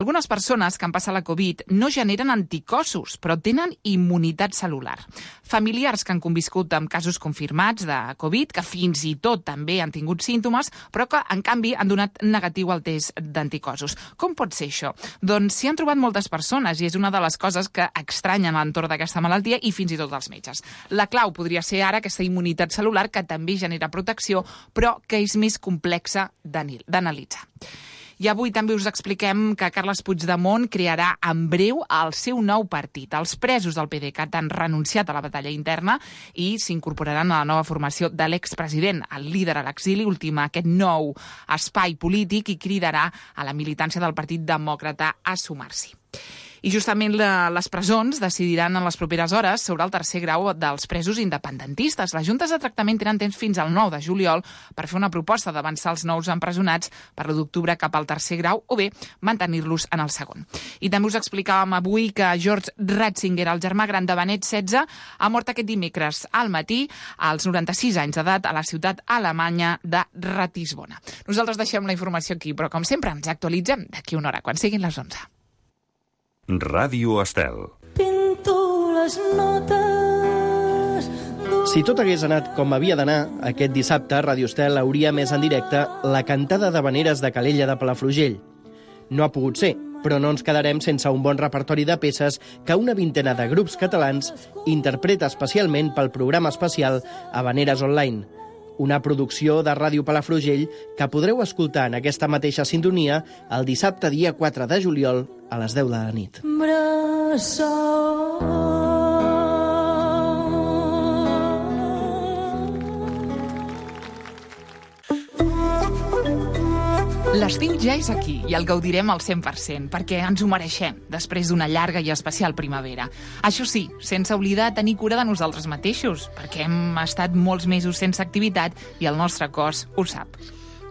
Algunes persones que han passat la Covid no generen anticossos, però tenen immunitat cel·lular. Familiars que han conviscut amb casos confirmats de Covid, que fins i tot també han tingut símptomes, però que, en canvi, han donat negatiu al test d'anticossos. Com pot ser això? Doncs s'hi han trobat moltes persones i és una de les coses que extranyen a l'entorn d'aquesta malaltia i fins i tot els metges. La clau podria ser ara aquesta immunitat cel·lular que també genera protecció, però que és més complexa d'analitzar. I avui també us expliquem que Carles Puigdemont crearà en breu el seu nou partit. Els presos del PDeCAT han renunciat a la batalla interna i s'incorporaran a la nova formació de l'expresident, el líder a l'exili, ultima aquest nou espai polític i cridarà a la militància del Partit Demòcrata a sumar-s'hi. I justament les presons decidiran en les properes hores sobre el tercer grau dels presos independentistes. Les juntes de tractament tenen temps fins al 9 de juliol per fer una proposta d'avançar els nous empresonats per l'1 d'octubre cap al tercer grau o bé mantenir-los en el segon. I també us explicàvem avui que George Ratzinger, el germà gran de Benet XVI, ha mort aquest dimecres al matí als 96 anys d'edat a la ciutat alemanya de Ratisbona. Nosaltres deixem la informació aquí, però com sempre ens actualitzem d'aquí una hora, quan siguin les 11. Ràdio Estel. Pinto les notes. Si tot hagués anat com havia d'anar, aquest dissabte Ràdio Estel hauria més en directe la cantada d'havaneres de Calella de Palafrugell. No ha pogut ser, però no ens quedarem sense un bon repertori de peces que una vintena de grups catalans interpreta especialment pel programa especial Havaneres Online, una producció de Ràdio Palafrugell que podreu escoltar en aquesta mateixa sintonia el dissabte dia 4 de juliol a les 10 de la nit. L'estiu ja és aquí i el gaudirem al 100%, perquè ens ho mereixem després d'una llarga i especial primavera. Això sí, sense oblidar tenir cura de nosaltres mateixos, perquè hem estat molts mesos sense activitat i el nostre cos ho sap.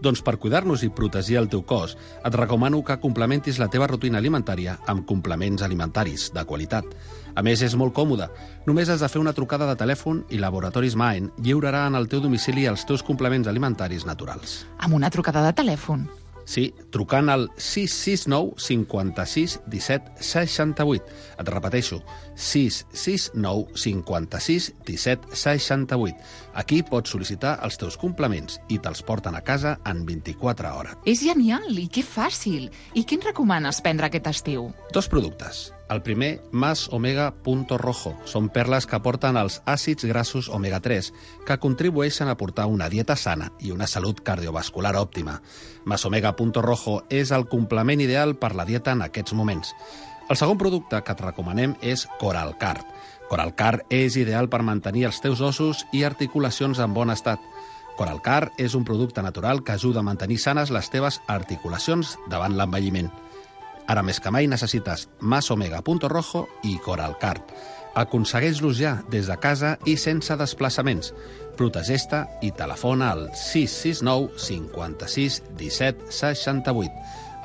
Doncs per cuidar-nos i protegir el teu cos, et recomano que complementis la teva rutina alimentària amb complements alimentaris de qualitat. A més, és molt còmode. Només has de fer una trucada de telèfon i Laboratoris Maen lliurarà en el teu domicili els teus complements alimentaris naturals. Amb una trucada de telèfon? Sí, trucant al 669 56 17 68. Et repeteixo, 669 56 17 68. Aquí pots sol·licitar els teus complements i te'ls porten a casa en 24 hores. És genial i que fàcil. I què ens recomanes prendre aquest estiu? 2 productes. El primer, Más Omega Punto Rojo. Són perles que aporten els àcids grassos omega-3, que contribueixen a portar una dieta sana i una salut cardiovascular òptima. Más Omega Punto Rojo és el complement ideal per la dieta en aquests moments. El segon producte que et recomanem és Coralcard. Coralcard és ideal per mantenir els teus ossos i articulacions en bon estat. Coralcard és un producte natural que ajuda a mantenir sanes les teves articulacions davant l'envelliment. Ara més que mai necessites Más Omega Punto Rojo i Coralcard. Aconsegueix-los ja des de casa i sense desplaçaments. Protegeix-te i telefona al 669 56 17 68.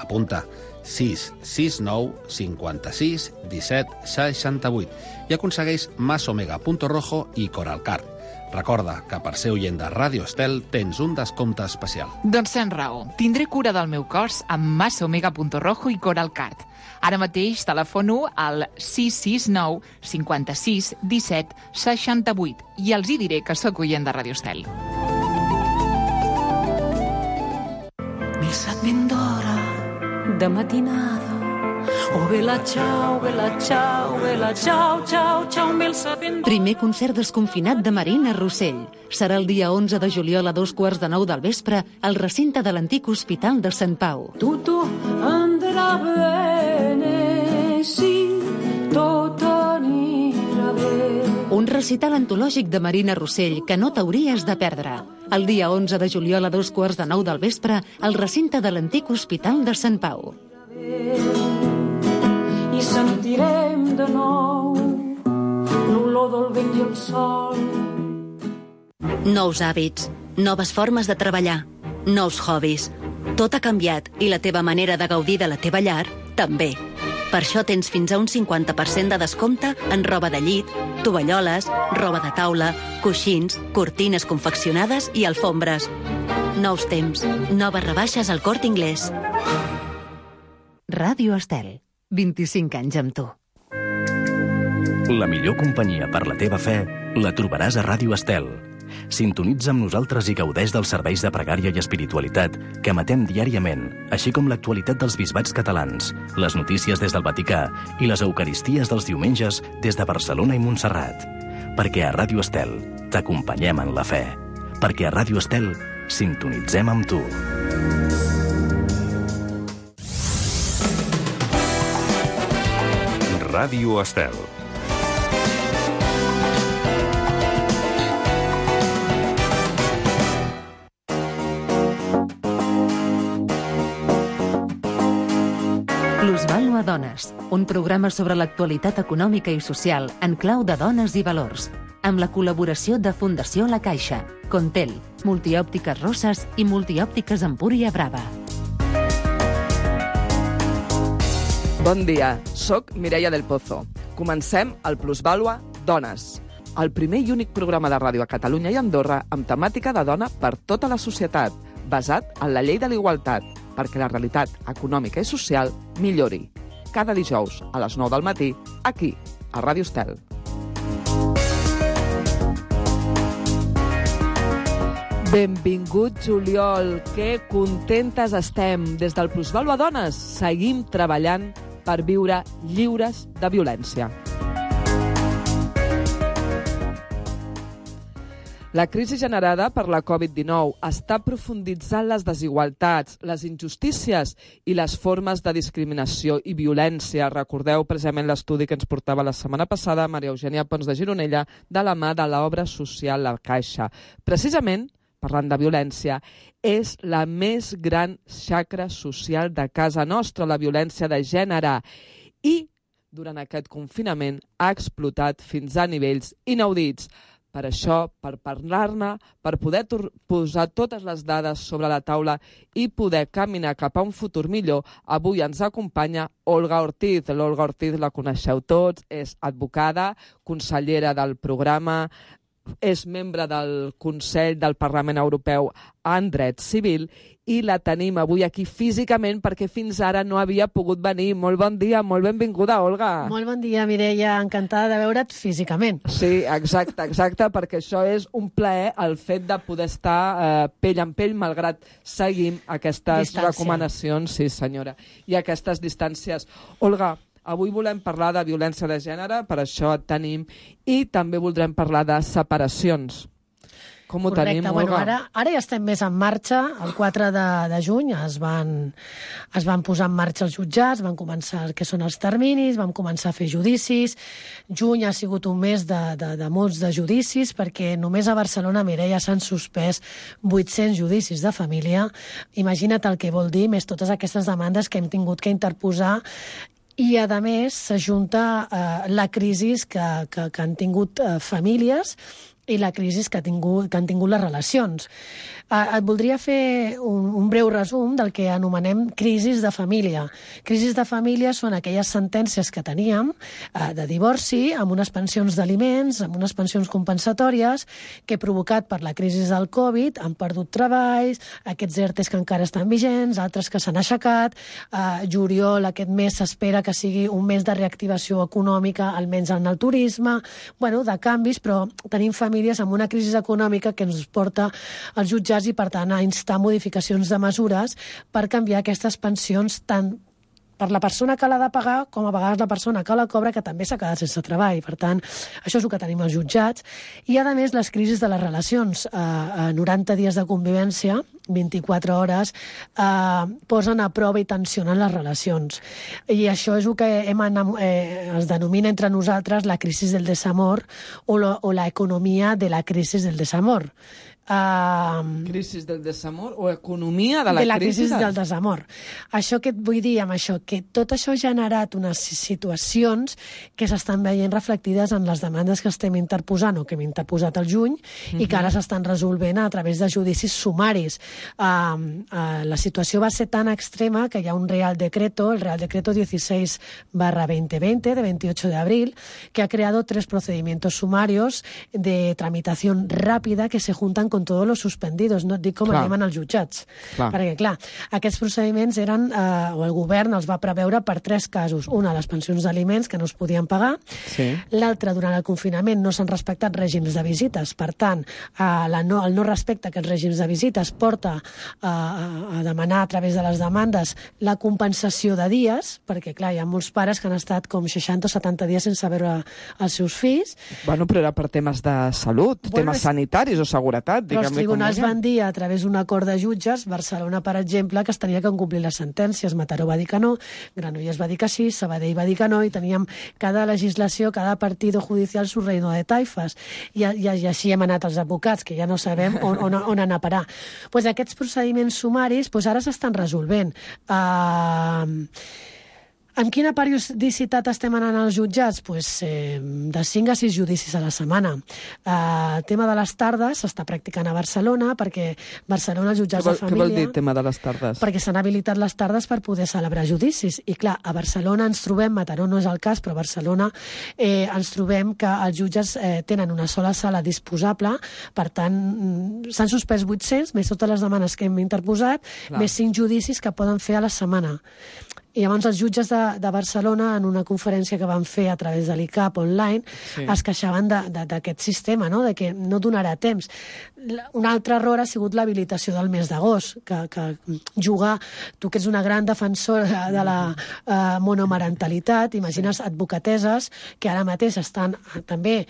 Apunta 669 56 17 68 i aconsegueix Más Omega Punto Rojo i Coralcard. Recorda que per ser oient de Ràdio Estel tens un descompte especial. Doncs tens raó. Tindré cura del meu cos amb Más Omega Punto Rojo i Coralcard. Ara mateix telefono al 669 56 17 68 i els hi diré que sóc oient de Ràdio Estel. Missa ben d'hora de matinada. Oh, vela, ciao, ciao, ciao, ciao, mil sapent... Primer concert desconfinat de Marina Rossell. Serà el dia 11 de juliol a 2:15 del vespre al recinte de l'antic Hospital de Sant Pau. Tutto andrà bene, sì, tot anirà bé. Un recital antològic de Marina Rossell que no t'hauries de perdre. El dia 11 de juliol a 2:15 del vespre al recinte de l'antic Hospital de Sant Pau. I sentirem de nou l'olor del vent i el sol. Nous hàbits, noves formes de treballar, nous hobbies. Tot ha canviat i la teva manera de gaudir de la teva llar també. Per això tens fins a un 50% de descompte en roba de llit, tovalloles, roba de taula, coixins, cortines confeccionades i alfombres. Nous temps, noves rebaixes al Corte Inglés. Ràdio Estel. 25 anys amb tu. La millor companyia per la teva fe la trobaràs a Ràdio Estel. Sintonitza amb nosaltres i gaudeix dels serveis de pregària i espiritualitat que emetem diàriament, així com l'actualitat dels bisbats catalans, les notícies des del Vaticà i les eucaristies dels diumenges des de Barcelona i Montserrat. Perquè a Ràdio Estel t'acompanyem en la fe. Perquè a Ràdio Estel sintonitzem amb tu. Ràdio Estel. Plusvàlua Dones, un programa sobre l'actualitat econòmica i social en clau de dones i valors, amb la col·laboració de Fundació La Caixa, Contel, Multiòptiques Roses i Multiòptiques Empúria Brava. Bon dia, soc Mireia del Pozo. Comencem el Plusvàlua Dones, el primer i únic programa de ràdio a Catalunya i Andorra amb temàtica de dona per tota la societat, basat en la llei de la igualtat, perquè la realitat econòmica i social millori. Cada dijous a les 9 del matí, aquí, a Ràdio Estel. Benvingut, juliol. Que contentes estem. Des del Plusvàlua Dones seguim treballant per viure lliures de violència. La crisi generada per la Covid-19 està profunditzant les desigualtats, les injustícies i les formes de discriminació i violència. Recordeu precisament l'estudi que ens portava la setmana passada Maria Eugènia Pons de Gironella de la mà de l'obra social La Caixa. Precisament, parlant de violència, és la més gran xacra social de casa nostra, la violència de gènere. I, durant aquest confinament, ha explotat fins a nivells inaudits. Per això, per parlar-ne, per poder posar totes les dades sobre la taula i poder caminar cap a un futur millor, avui ens acompanya Olga Ortiz. L'Olga Ortiz la coneixeu tots, és advocada, consellera del programa, és membre del Consell del Parlament Europeu en Dret Civil i la tenim avui aquí físicament perquè fins ara no havia pogut venir. Molt bon dia, molt benvinguda, Olga. Molt bon dia, Mireia, encantada de veure't físicament. Sí, exacte, perquè això és un plaer el fet de poder estar pell en pell, malgrat seguim aquestes recomanacions, sí senyora, i aquestes distàncies. Olga, avui volem parlar de violència de gènere, per això et tenim, i també voldrem parlar de separacions. Com ho tenim, Olga? Bueno, ara ja estem més en marxa. El 4 de juny es van posar en marxa els jutjats, van començar el que són els terminis, vam començar a fer judicis. Juny ha sigut un mes de molts de judicis, perquè només a Barcelona, Mireia, s'han suspès 800 judicis de família. Imagina't el que vol dir, més totes aquestes demandes que hem tingut que interposar. I, a més, s'ajunta la crisi que han tingut famílies i la crisi que han tingut les relacions. Et voldria fer un breu resum del que anomenem crisis de família. Crisis de família són aquelles sentències que teníem de divorci amb unes pensions d'aliments, amb unes pensions compensatòries, que provocat per la crisi del Covid han perdut treballs, aquests ERTEs que encara estan vigents, altres que s'han aixecat. Juliol, aquest mes, s'espera que sigui un mes de reactivació econòmica, almenys en el turisme, de canvis, però tenim famílies amb una crisi econòmica que ens porta als jutjats i, per tant, a instar modificacions de mesures per canviar aquestes pensions tant per la persona que l'ha de pagar com a vegades la persona que la cobra, que també s'ha quedat sense treball. Per tant, això és el que tenim als jutjats. I, a més, les crisis de les relacions. 90 dies de convivència, 24 hores, posen a prova i tensionen les relacions. I això és el que es denomina entre nosaltres la crisi del desamor o l'economia de la crisi del desamor. Crisi del desamor o economia de la crisi del desamor. Això que et vull dir amb això, que tot això ha generat unes situacions que s'estan veient reflectides en les demandes que estem interposant o que hem interposat al juny i que ara s'estan resolvent a través de judicis sumaris. La situació va ser tan extrema que hi ha un Real Decreto, el Real Decreto 16/2020, de 28 de abril, que ha creado 3 procedimientos sumarios de tramitación rápida que se juntan con todos los suspendidos, no et dic com anem als jutjats. Perquè, clar, aquests procediments eren, o el govern els va preveure per 3 casos. Una, les pensions d'aliments, que no es podien pagar. L'altra, durant el confinament no s'han respectat règims de visites. Per tant, el no respecte a aquests règims de visites porta a demanar a través de les demandes la compensació de dies, perquè, clar, hi ha molts pares que han estat com 60 o 70 dies sense veure els seus fills. Bueno, però era per temes de salut, temes sanitaris o seguretat. Però els tribunals van dir, a través d'un acord de jutges, Barcelona, per exemple, que es tenia que complir les sentències. Mataró va dir que no, Granollers va dir que sí, Sabadell va dir que no, i teníem cada legislació, cada partido judicial su reino de taifes. I així hem anat els advocats, que ja no sabem on anar a parar. Pues aquests procediments sumaris ara s'estan resolvent. Amb quina periodicitat estem anant als jutjats? De 5 a 6 judicis a la setmana. El tema de les tardes s'està practicant a Barcelona, perquè Barcelona, els jutjats de família... Què vol dir tema de les tardes? Perquè s'han habilitat les tardes per poder celebrar judicis. I clar, a Barcelona ens trobem, Mataró no és el cas, però a Barcelona ens trobem que els jutges tenen una sola sala disposable, per tant, s'han suspès 800, més totes les demanes que hem interposat, més 5 judicis que poden fer a la setmana. I llavors els jutges de Barcelona, en una conferència que van fer a través de l'ICAP online, es queixaven d'aquest sistema, de que no donarà temps. Un altre error ha sigut l'habilitació del mes d'agost, que jugar, tu que ets una gran defensora de la monomarentalitat, imagines advocateses que ara mateix estan també,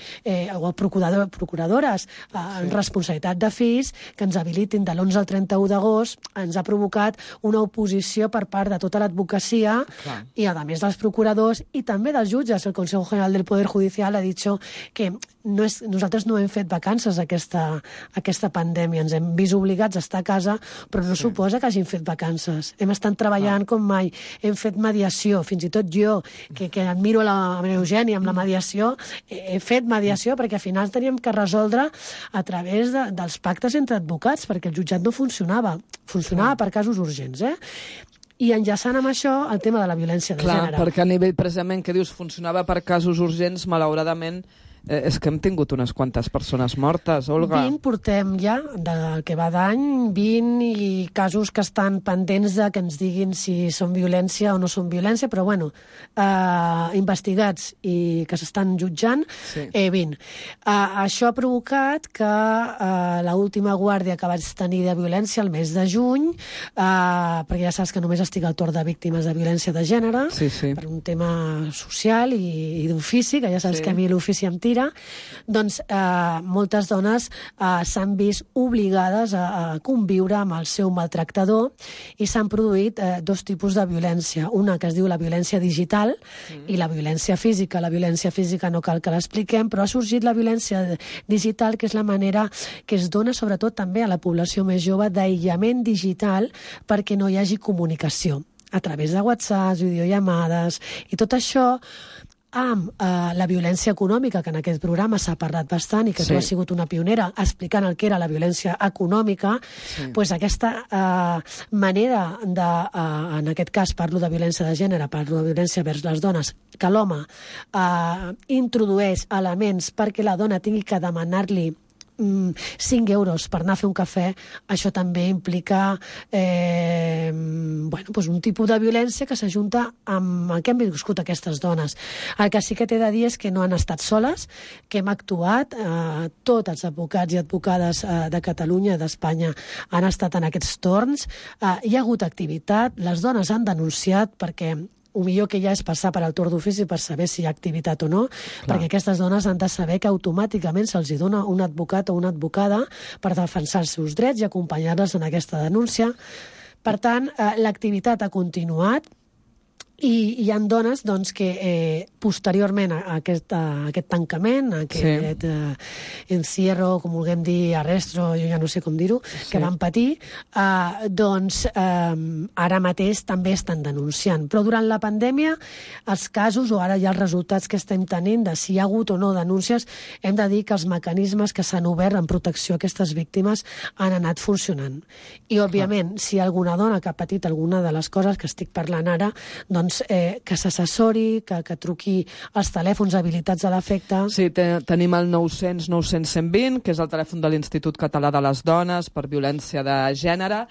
o procuradores, en responsabilitat de fills, que ens habilitin de l'11 al 31 d'agost, ens ha provocat una oposició per part de tota l'advocacia i, a més, dels procuradors i també dels jutges. El Consejo General del Poder Judicial ha dit que nosaltres no hem fet vacances aquesta pandèmia. Ens hem vist obligats a estar a casa, però no suposa que hagin fet vacances. Hem estat treballant com mai. Hem fet mediació. Fins i tot jo, que admiro la Maria Eugènia amb la mediació, he fet mediació perquè al final teníem que resoldre a través dels pactes entre advocats, perquè el jutjat no funcionava. Funcionava per casos urgents, I enllaçant amb això el tema de la violència de gènere. Clar, perquè a nivell precisament que dius funcionava per casos urgents, malauradament és que hem tingut unes quantes persones mortes, Olga. 20 portem ja, del que va d'any, 20 i casos que estan pendents de que ens diguin si són violència o no són violència, però bueno, investigats i que s'estan jutjant, 20. Això ha provocat que l'última guàrdia que vaig tenir de violència el mes de juny, perquè ja saps que només estic al torn de víctimes de violència de gènere, per un tema social i d'ofici, que ja saps que a mi l'ofici em tira, doncs moltes dones s'han vist obligades a conviure amb el seu maltractador i s'han produït 2 tipus de violència. Una que es diu la violència digital i la violència física. La violència física no cal que l'expliquem, però ha sorgit la violència digital, que és la manera que es dona sobretot també a la població més jove d'aïllament digital perquè no hi hagi comunicació a través de WhatsApp, videollamades i tot això amb la violència econòmica, que en aquest programa s'ha parlat bastant i que tu has sigut una pionera explicant el que era la violència econòmica, doncs aquesta manera de, en aquest cas parlo de violència de gènere, parlo de violència vers les dones, que l'home introdueix elements perquè la dona tingui que demanar-li 5 euros per anar a fer un cafè, això també implica un tipus de violència que s'ajunta amb el que han viscut aquestes dones. El que sí que t'he de dir és que no han estat soles, que hem actuat, tots els advocats i advocades de Catalunya i d'Espanya han estat en aquests torns, hi ha hagut activitat, les dones han denunciat perquè el millor que hi ha és passar per al torn d'ofici per saber si hi ha activitat o no, perquè aquestes dones han de saber que automàticament se'ls dona un advocat o una advocada per defensar els seus drets i acompanyar-les en aquesta denúncia. Per tant, l'activitat ha continuat i hi ha dones que posteriorment a aquest tancament, a aquest encierro, com vulguem dir, arresto, jo ja no sé com dir-ho, que van patir, ara mateix també estan denunciant. Però durant la pandèmia, els casos, o ara ja els resultats que estem tenint de si hi ha hagut o no denúncies, hem de dir que els mecanismes que s'han obert en protecció a aquestes víctimes han anat funcionant. I, òbviament, si alguna dona que ha patit alguna de les coses que estic parlant ara, doncs que s'assessori, que truqui als telèfons habilitats a l'efecte. Sí, tenim el 900 900 120, que és el telèfon de l'Institut Català de les Dones per violència de gènere.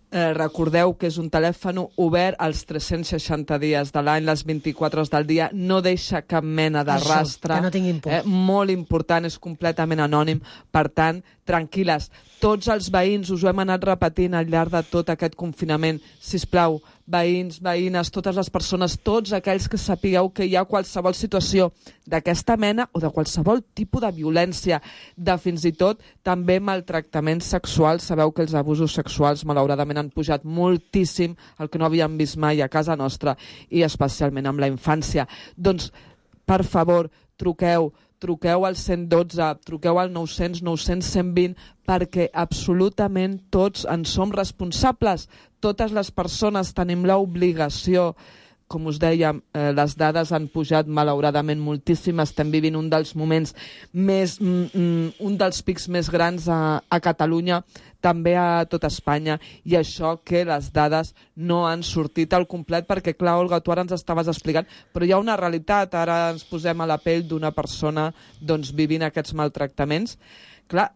Recordeu que és un telèfon obert als 360 dies de l'any, les 24 hores del dia, no deixa cap mena de rastre. Que no tinguin por. Molt important, és completament anònim, per tant, tranquil·les. Tots els veïns, us ho hem anat repetint al llarg de tot aquest confinament, sisplau, veïns, veïnes, totes les persones, tots aquells que sapigueu que hi ha qualsevol situació d'aquesta mena o de qualsevol tipus de violència, de fins i tot també maltractament sexual. Sabeu que els abusos sexuals malauradament han pujat moltíssim, el que no havíem vist mai a casa nostra i especialment amb la infància. Doncs, per favor, truqueu al 112, truqueu al 900 900 120 perquè absolutament tots en som responsables. Totes les persones tenim l'obligació. Com us dèiem, les dades han pujat malauradament moltíssim. Estem vivint un dels moments un dels pics més grans a Catalunya, també a tot Espanya, i això que les dades no han sortit al complet, perquè, clar, Olga, tu ara ens estaves explicant, però hi ha una realitat, ara ens posem a la pell d'una persona vivint aquests maltractaments. Clar,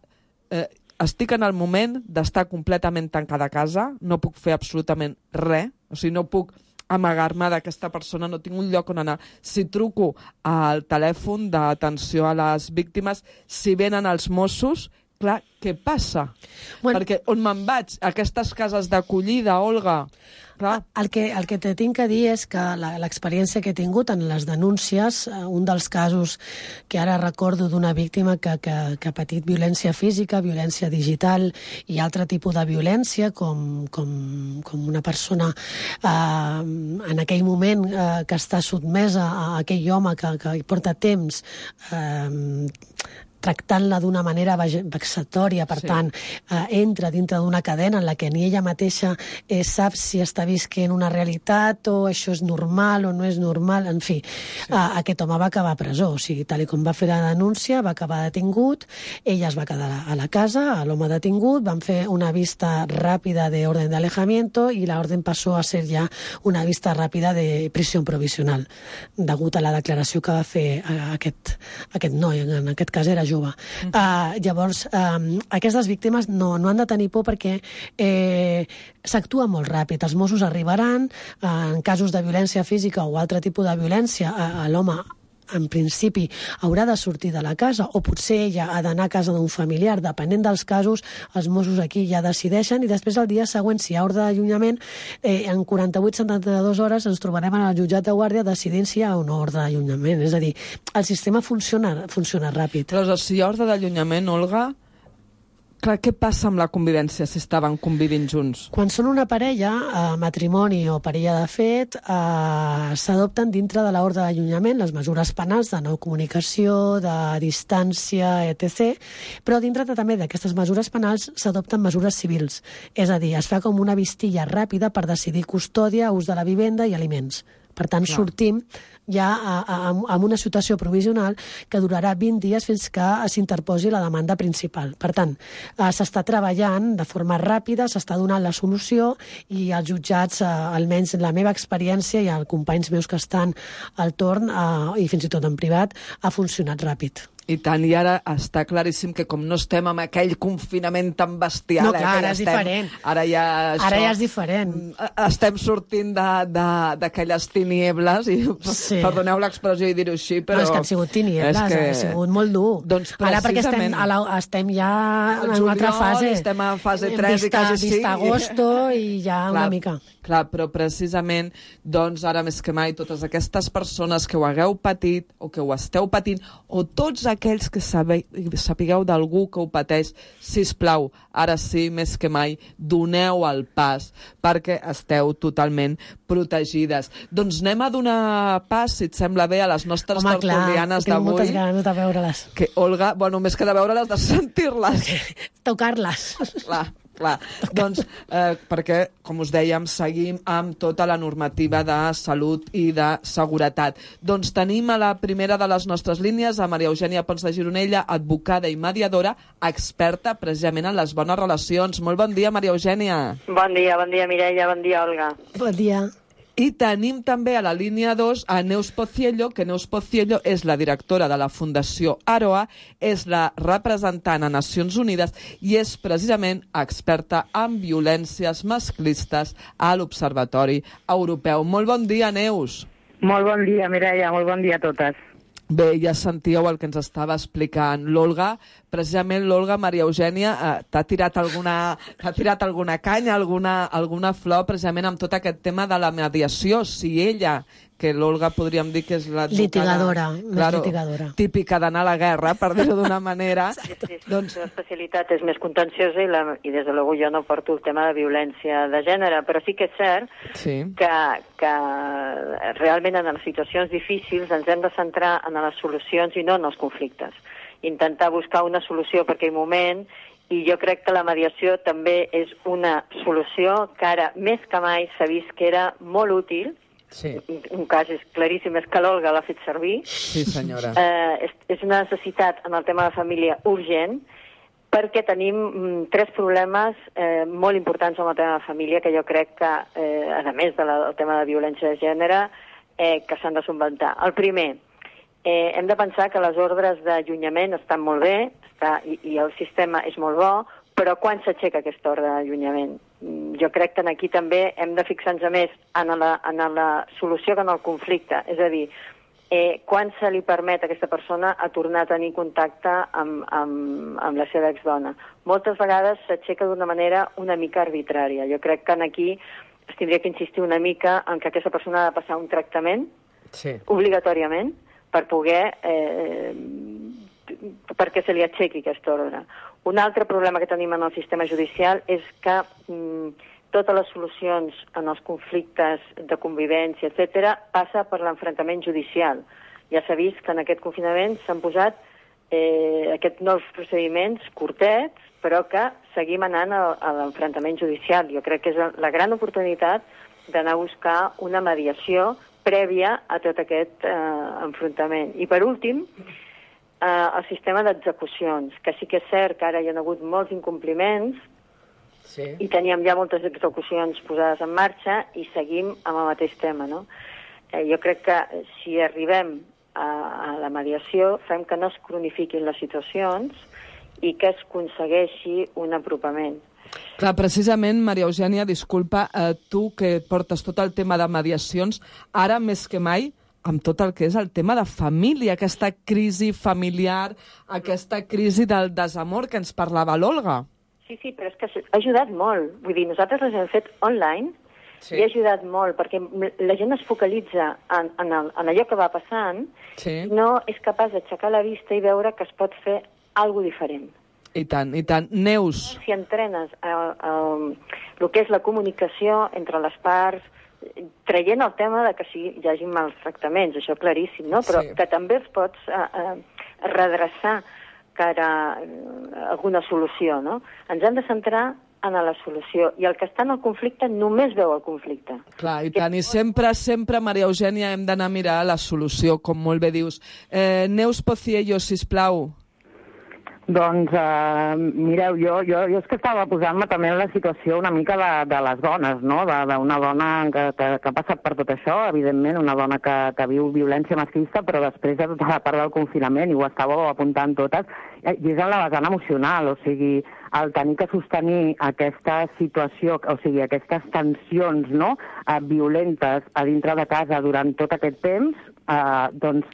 estic en el moment d'estar completament tancada a casa, no puc fer absolutament res, o sigui, no puc amagar-me d'aquesta persona, no tinc un lloc on anar. Si truco al telèfon d'atenció a les víctimes, si venen els Mossos, clar, què passa? Bueno, perquè on me'n vaig? Aquestes cases d'acollida, Olga? Clar. El que te tinc a dir és que l'experiència que he tingut en les denúncies, un dels casos que ara recordo d'una víctima que ha patit violència física, violència digital i altre tipus de violència, com una persona en aquell moment que està sotmesa a aquell home que porta temps tractant-la d'una manera vexatòria, per tant, entra dintre d'una cadena en la que ni ella mateixa sap si està visquent una realitat o això és normal o no és normal, en fi. Aquest home va acabar a presó, o sigui, tal com va fer la denúncia, va acabar detingut, ella es va quedar a la casa, l'home detingut, van fer una vista ràpida de orden de alejamiento i la orden passó a ser ja una vista ràpida de prisión provisional, degut a la declaració que va fer aquest noi, en aquest cas era jove. Llavors, aquestes víctimes no han de tenir por perquè s'actua molt ràpid. Els Mossos arribaran, en casos de violència física o altre tipus de violència, l'home en principi haurà de sortir de la casa o potser ella ha d'anar a casa d'un familiar, depenent dels casos, els Mossos aquí ja decideixen i després el dia següent, si hi ha ordre d'allunyament, en 48-72 hores ens trobarem en el jutjat de guàrdia decidint si hi ha una ordre d'allunyament. És a dir, el sistema funciona ràpid. Però si hi ha ordre d'allunyament, Olga, clar, què passa amb la convivència si estaven convivint junts? Quan són una parella, matrimoni o parella de fet, s'adopten dintre de l'ordre d'allunyament les mesures penals de no comunicació, de distància, etc. Però dintre també d'aquestes mesures penals s'adopten mesures civils. És a dir, es fa com una vistilla ràpida per decidir custòdia, ús de la vivenda i aliments. Per tant, sortim ja amb una situació provisional que durarà 20 dies fins que s'interposi la demanda principal. Per tant, s'està treballant de forma ràpida, s'està donant la solució i els jutjats, almenys la meva experiència i els companys meus que estan al torn i fins i tot en privat, ha funcionat ràpid. I tant, i ara està claríssim que com no estem amb aquell confinament tan bestial... No, clar, ara és diferent. Ara ja és diferent. Estem sortint d'aquelles tiniebles, i perdoneu l'expressió i dir-ho així, però... No, és que han sigut tiniebles, ha sigut molt dur. Doncs ara perquè estem ja en una altra fase. Estem a fase 3 i quasi 5. Vista agosto i ja una mica... Clar, però precisament, doncs, ara més que mai, totes aquestes persones que ho hagueu patit o que ho esteu patint, o tots aquells que sapigueu d'algú que ho pateix, sisplau, ara sí, més que mai, doneu el pas, perquè esteu totalment protegides. Doncs anem a donar pas, si et sembla bé, a les nostres tertulianes d'avui. Moltes ganes de veure-les. Que, Olga, bueno, més que de veure-les, de sentir-les. Tocar-les. Clar, doncs, perquè, com us dèiem, seguim amb tota la normativa de salut i de seguretat. Doncs tenim a la primera de les nostres línies a Maria Eugènia Pons de Gironella, advocada i mediadora, experta precisament en les bones relacions. Molt bon dia, Maria Eugènia. Bon dia, Mireia, bon dia, Olga. Bon dia. I tenim també a la línia 2 a Neus Pociello, que Neus Pociello és la directora de la Fundació Aroa, és la representant a Nacions Unides i és precisament experta en violències masclistes a l'Observatori Europeu. Molt bon dia, Neus. Molt bon dia, Mireia, molt bon dia a totes. Bé, ja sentíeu el que ens estava explicant l'Olga. Precisament l'Olga, Maria Eugènia, t'ha tirat alguna canya, alguna flor, precisament amb tot aquest tema de la mediació. Si ella, que l'Olga podríem dir que és la... Litigadora, més litigadora. Típica d'anar a la guerra, per dir-ho d'una manera. Sí, doncs... L'especialitat és més contenciosa i des de luego jo no porto el tema de violència de gènere, però sí que és cert que realment en les situacions difícils ens hem de centrar en les solucions i no en els conflictes. Intentar buscar una solució per aquell moment, i jo crec que la mediació també és una solució que ara més que mai s'ha vist que era molt útil. Sí. Un cas és claríssim, és que l'Olga l'ha fet servir. Sí, senyora. És una necessitat en el tema de família urgent, perquè tenim 3 problemes molt importants en el tema de família que jo crec que, a més del tema de violència de gènere, que s'han de solventar. El primer, hem de pensar que les ordres d'allunyament estan molt bé i el sistema és molt bo, però quan s'aixeca aquesta ordre d'allunyament? Jo crec que aquí també hem de fixar-nos més en la solució que en el conflicte. És a dir, quan se li permet a aquesta persona a tornar a tenir contacte amb la seva exdona. Moltes vegades s'aixeca d'una manera una mica arbitrària. Jo crec que aquí es tindria que insistir una mica en que aquesta persona ha de passar un tractament obligatòriament per poder perquè se li aixequi aquesta ordre. Un altre problema que tenim en el sistema judicial és que totes les solucions en els conflictes de convivència, etc., passa per l'enfrontament judicial. Ja s'ha vist que en aquest confinament s'han posat aquests nous procediments curtets, però que seguim anant a l'enfrontament judicial. Jo crec que és la gran oportunitat d'anar a buscar una mediació prèvia a tot aquest enfrontament. I per últim, el sistema d'execucions, que sí que és cert que ara hi ha hagut molts incompliments i teníem ja moltes execucions posades en marxa i seguim amb el mateix tema, no? Jo crec que si arribem a la mediació fem que no es cronifiquin les situacions i que es aconsegueixi un apropament. Clar, precisament, Maria Eugènia, disculpa, tu que portes tot el tema de mediacions, ara més que mai, amb tot el que és el tema de família, aquesta crisi familiar, aquesta crisi del desamor que ens parlava l'Olga. Sí, però és que ha ajudat molt. Vull dir, nosaltres les hem fet online i ha ajudat molt, perquè la gent es focalitza en allò que va passant i no és capaç d'aixecar la vista i veure que es pot fer alguna cosa diferent. I tant, i tant. Neus. Si entrenes el que és la comunicació entre les parts, traient el tema de que hi hagi mals tractaments, això claríssim, no? Però que també es pots redreçar cara a alguna solució, no? Ens hem de centrar en la solució, i el que està en el conflicte només veu el conflicte. Clar, i tant, i sempre, Maria Eugènia, hem d'anar a mirar la solució, com molt bé dius. Neus Pociello, sisplau. Doncs, mireu, jo és que estava posant-me també en la situació una mica de les dones, no? D'una dona que ha passat per tot això, evidentment, una dona que viu violència masclista, però després de tota la part del confinament, i ho estàveu apuntant totes, i és en la vessant emocional, o sigui, el tenir que sostenir aquesta situació, o sigui, aquestes tensions, no?, violentes a dintre de casa durant tot aquest temps, doncs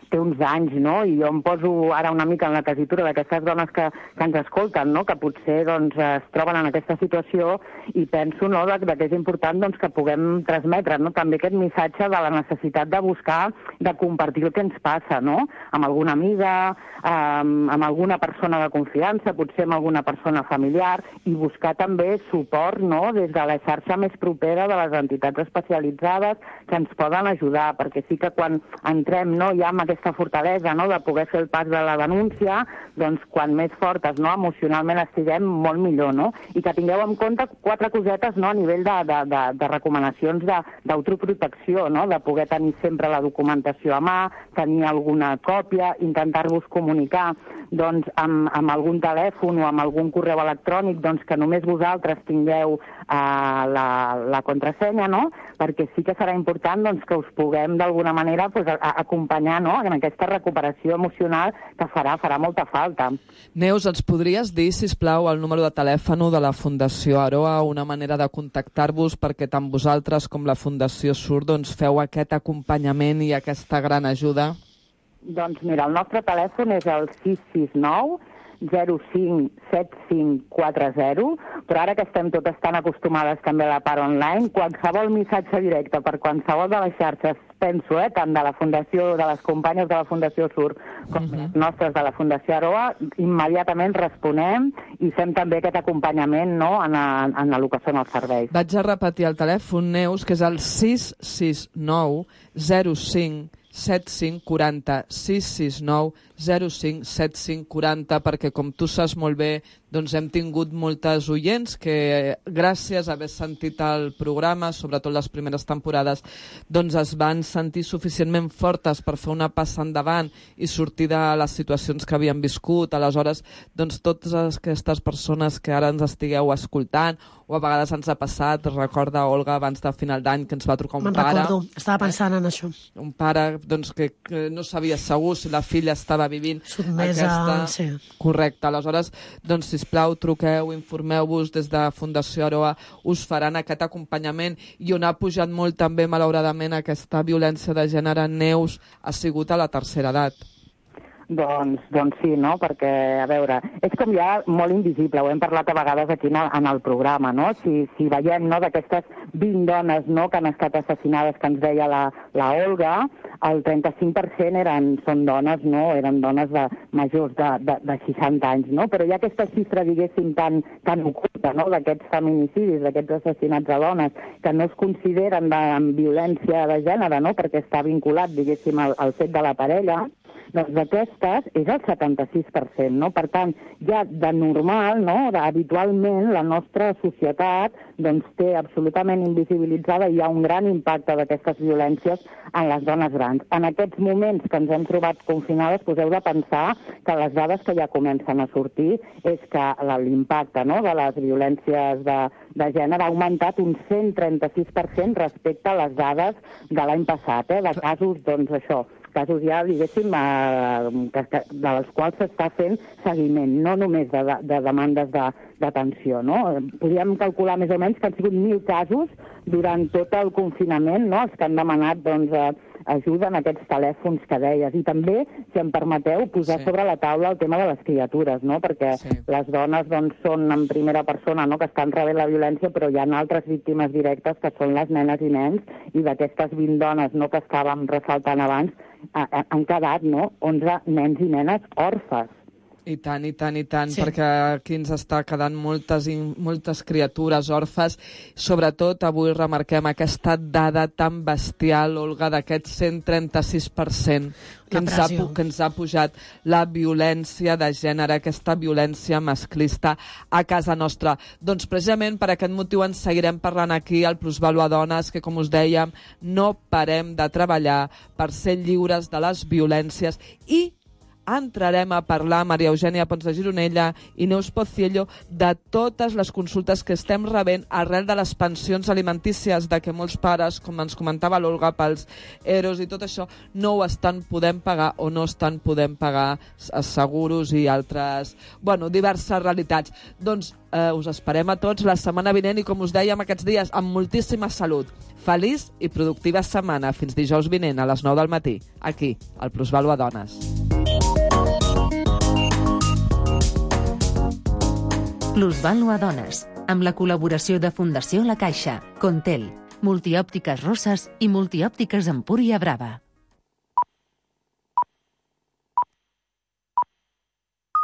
té uns anys, no? I jo em poso ara una mica en la tessitura d'aquestes dones que ens escolten, no? Que potser doncs, es troben en aquesta situació, i penso, no?, que és important doncs, que puguem transmetre, no?, també aquest missatge de la necessitat de buscar, de compartir el que ens passa, no?, amb alguna amiga, amb alguna persona de confiança, potser amb alguna persona familiar, i buscar també suport, no?, des de la xarxa més propera de les entitats especialitzades que ens poden ajudar, perquè sí que quan entrem, no, ja amb aquesta fortalesa, no?, de poder fer el pas de la denúncia, doncs quan més fortes, no?, emocionalment estiguem, molt millor, no? I que tingueu en compte 4 cosetes, no?, a nivell de recomanacions d'autoprotecció, no?, de poder tenir sempre la documentació a mà, tenir alguna còpia, intentar-vos comunicar doncs, amb algun telèfon o amb algun correu electrònic, doncs, que només vosaltres tingueu la contrasenya, no? Perquè sí que serà important doncs, que us puguem d'alguna manera doncs, acompanyar, no?, en aquesta recuperació emocional que farà molta falta. Neus, ens podries dir, sisplau, el número de telèfon de la Fundació Aroa, una manera de contactar-vos perquè tant vosaltres com la Fundació SUR doncs, feu aquest acompanyament i aquesta gran ajuda? Doncs mira, el nostre telèfon és el 669 05 7540, però ara que estem totes tan acostumades també a la part online, qualsevol missatge directe per qualsevol de les xarxes, penso, tant de la Fundació, de les companyes de la Fundació SUR com les nostres de la Fundació Aroa, immediatament responem i fem també aquest acompanyament, no?, en el que són els serveis. Vaig a repetir el telèfon, Neus, que és el 669 05 7540, 669 05 7540, perquè com tu saps molt bé, doncs hem tingut moltes oients que gràcies a haver sentit el programa, sobretot les primeres temporades, doncs es van sentir suficientment fortes per fer una passa endavant i sortir de les situacions que havien viscut. Aleshores, doncs totes aquestes persones que ara ens estigueu escoltant, o a vegades ens ha passat, recorda, Olga, abans de final d'any que ens va trucar un pare. Me'n recordo, estava pensant en això. Un pare doncs, que no sabia segur si la filla estava vivint sotmesa, aquesta... sí. Correcte. Aleshores, doncs, sisplau, truqueu, informeu-vos des de Fundació Aroa, us faran aquest acompanyament, i on ha pujat molt també, malauradament, aquesta violència de gènere, Neus, ha sigut a la tercera edat. Doncs sí, no? Perquè, a veure, és com ja molt invisible, ho hem parlat a vegades aquí en el programa, no? Si veiem, no, d'aquestes 20 dones, no, que han estat assassinades, que ens deia la Olga, el 35% són dones, no? Eren dones majors de 60 anys, no? Però hi ha aquesta xifra, diguéssim, tan oculta, no?, d'aquests feminicidis, d'aquests assassinats a dones, que no es consideren amb violència de gènere, no?, perquè està vinculat, diguéssim, al fet de la parella. Doncs d'aquestes és el 76%, no? Per tant, ja de normal, no?, habitualment la nostra societat doncs, té absolutament invisibilitzada i hi ha un gran impacte d'aquestes violències en les dones grans. En aquests moments que ens hem trobat confinades, us heu de pensar que les dades que ja comencen a sortir és que l'impacte, no?, de les violències de gènere ha augmentat un 136% respecte a les dades de l'any passat, de casos, doncs això, casos ja, diguéssim, dels quals s'està fent seguiment, no només de demandes d'atenció, no? Podríem calcular més o menys que han sigut 1.000 casos durant tot el confinament, no?, els que han demanat, doncs, ajuda en aquests telèfons que deies. I també, si em permeteu, posar sobre la taula el tema de les criatures, no?, perquè les dones, doncs, són en primera persona, no?, que estan rebent la violència, però hi ha altres víctimes directes que són les nenes i nens, i d'aquestes 20 dones, no?, que estàvem ressaltant abans, han quedat, no?, 11 nens i nenes òrfes. I tant, perquè aquí ens està quedant moltes criatures òrfes. Sobretot avui remarquem aquesta dada tan bestial, Olga, d'aquest 136% que ens ha pujat la violència de gènere, aquesta violència masclista a casa nostra. Doncs precisament per aquest motiu ens seguirem parlant aquí al Plusvàlua Dones, que com us dèiem, no parem de treballar per ser lliures de les violències, i entrarem a parlar, Maria Eugènia Pons de Gironella i Neus Pociello, de totes les consultes que estem rebent arrel de les pensions alimentícies, de que molts pares, com ens comentava l'Olga, pels EROs i tot això, no ho estan podent pagar o no estan podent pagar seguros i altres, diverses realitats. Doncs us esperem a tots la setmana vinent i, com us dèiem aquests dies, amb moltíssima salut. Feliç i productiva setmana. Fins dijous vinent a les 9 del matí, aquí, al Plusvàlua Dones. Plusvàlua Dones, amb la col·laboració de Fundació La Caixa, Contel, Multiòptiques Roses i Multiòptiques Empúria Brava.